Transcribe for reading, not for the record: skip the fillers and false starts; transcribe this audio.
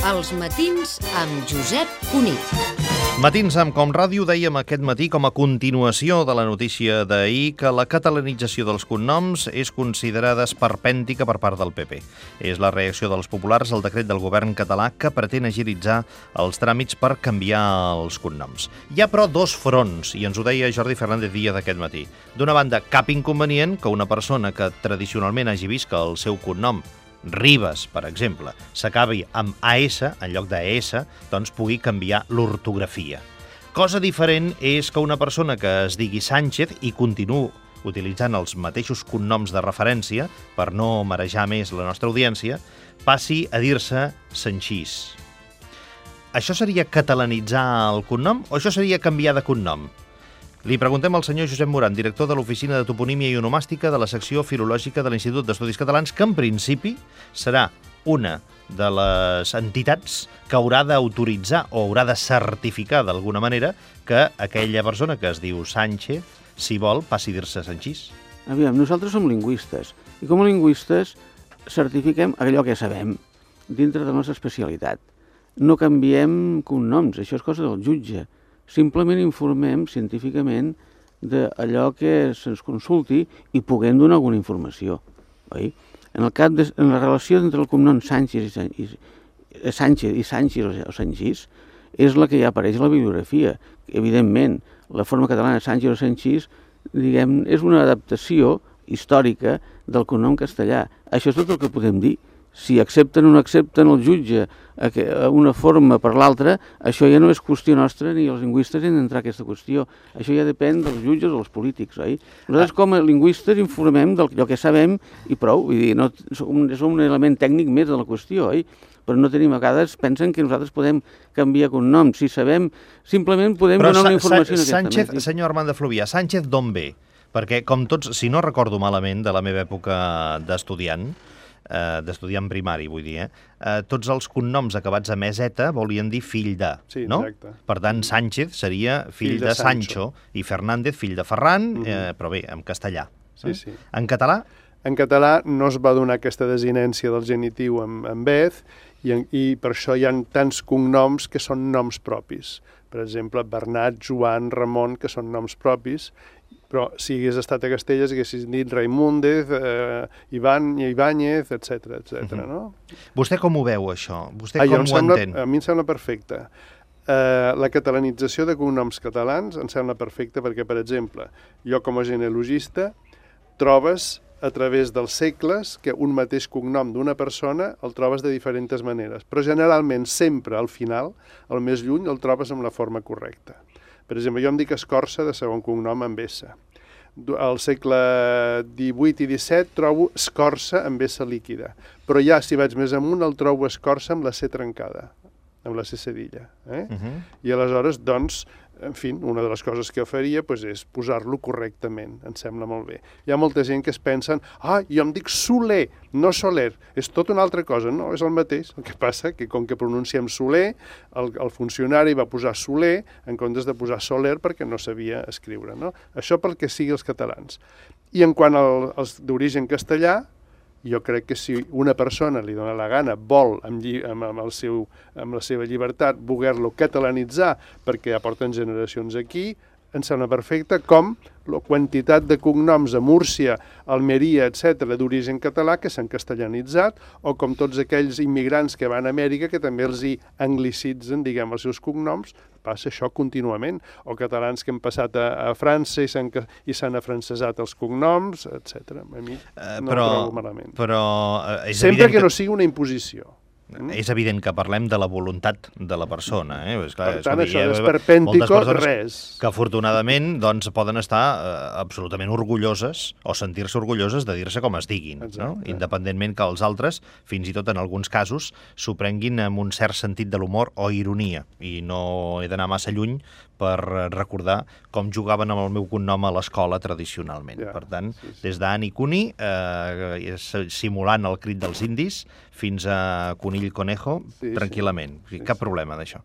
Els matins amb Josep Cunit. Matins amb Com Ràdio dèiem aquest matí, com a continuació de la notícia d'ahir, que la catalanització dels cognoms és considerada esperpèntica per part del PP. És la reacció dels populars al decret del govern català que pretén agilitzar els tràmits per canviar els cognoms. Hi ha, però, dos fronts, i ens ho deia Jordi Fernández Díaz aquest matí. D'una banda, cap inconvenient que una persona que tradicionalment hagi vist que el seu cognom Ribas, per exemple, s'acabi amb AS en lloc d'ES, doncs pugui canviar l'ortografia. Cosa diferent és que una persona que es digui Sánchez i continuï utilitzant els mateixos cognoms de referència, per no marejar més la nostra audiència, passi a dir-se Sanchís. Això seria catalanitzar el cognom o això seria canviar de cognom? Li preguntem al senyor Josep Moran, director de l'Oficina de Toponímia i Onomàstica de la secció filològica de l'Institut d'Estudis Catalans, que en principi serà una de les entitats que haurà d'autoritzar o haurà de certificar d'alguna manera que aquella persona que es diu Sánchez, si vol, passi a dir-se Sanchís. Aviam, nosaltres som lingüistes i com a lingüistes certifiquem allò que sabem dintre de la nostra especialitat. No canviem cognoms, això és cosa del jutge. Simplement informem científicament d'allò que se'ns consulti i puguem donar alguna informació. Oi? En la relació entre el cognom Sánchez i Sánchez o Sanchís és la que ja apareix a la bibliografia. Evidentment, la forma catalana Sánchez o Sanchís, diguem, és una adaptació històrica del cognom castellà. Això és tot el que podem dir. Si accepten o no accepten el jutge una forma per l'altra, això ja no és qüestió nostra ni els lingüistes hem d'entrar a aquesta qüestió. Això ja depèn dels jutges o dels polítics, oi? Nosaltres com a lingüistes informem d'allò que sabem i prou. Vull dir, no, som un element tècnic més de la qüestió, oi? Però no tenim, a vegades pensen que nosaltres podem canviar cognoms. Si sabem, simplement podem donar una informació en aquesta Sánchez, senyor Armand de Fluvià, Sánchez d'on ve? Perquè, com tots, si no recordo malament de la meva època d'estudiant primari, vull dir, tots els cognoms acabats a meseta volien dir fill de, sí, no? Exacte. Per tant, Sánchez seria fill de Sancho i Fernández fill de Ferran, però bé, en castellà. Sí, sí. En català? En català no es va donar aquesta desinència del genitiu en vez i per això hi ha tants cognoms que són noms propis. Per exemple, Bernat, Joan, Ramon, que són noms propis, però si hagués estat a Castelles haguessis dit Raimúndez, Ibáñez, etc. No? Vostè com ho veu, això? Vostè com ho entén? A mi em sembla perfecte. La catalanització de cognoms catalans em sembla perfecta perquè, per exemple, jo com a genealogista trobes a través dels segles que un mateix cognom d'una persona el trobes de diferents maneres, però generalment sempre al final, al més lluny, el trobes amb la forma correcta. Per exemple, jo em dic Escorça de segon cognom amb S. Al segle XVIII i XVII trobo Escorça amb S líquida, però ja si vaig més amunt el trobo Escorça amb la C trencada, amb la C cedilla. I aleshores, doncs, en fi, una de les coses que faria és posar-lo correctament, em sembla molt bé. Hi ha molta gent que es pensen, jo em dic Soler, no Soler, és tot una altra cosa, no, és el mateix. El que passa que com que pronunciem Soler, el funcionari va posar Soler en comptes de posar Soler perquè no sabia escriure, no? Això pel que sigui els catalans. I en quant als d'origen castellà, jo crec que si una persona li dona la gana, vol, amb la seva llibertat, voler-lo catalanitzar perquè ja porten generacions aquí, em sembla perfecte, com la quantitat de cognoms a Múrcia, Almeria, etc., d'origen català que s'han castellanitzat, o com tots aquells immigrants que van a Amèrica que també els hi anglicitzen, diguem, els seus cognoms, passa això contínuament, o catalans que han passat a França i s'han afrancesat els cognoms, etc. A mi no ho trobo malament. Però sempre que no sigui una imposició. És evident que parlem de la voluntat de la persona. Per tant, això d'esperpèntico, res. Que afortunadament doncs, poden estar absolutament orgulloses o sentir-se orgulloses de dir-se com es diguin, no? Independentment que els altres, fins i tot en alguns casos, s'ho prenguin amb un cert sentit de l'humor o ironia. I no he d'anar massa lluny per recordar com jugaven amb el meu cognom a l'escola tradicionalment. Per tant, des d'Ani Cuni, simulant el crit dels indis, fins a Conill Conejo, tranquil·lament. Cap problema d'això.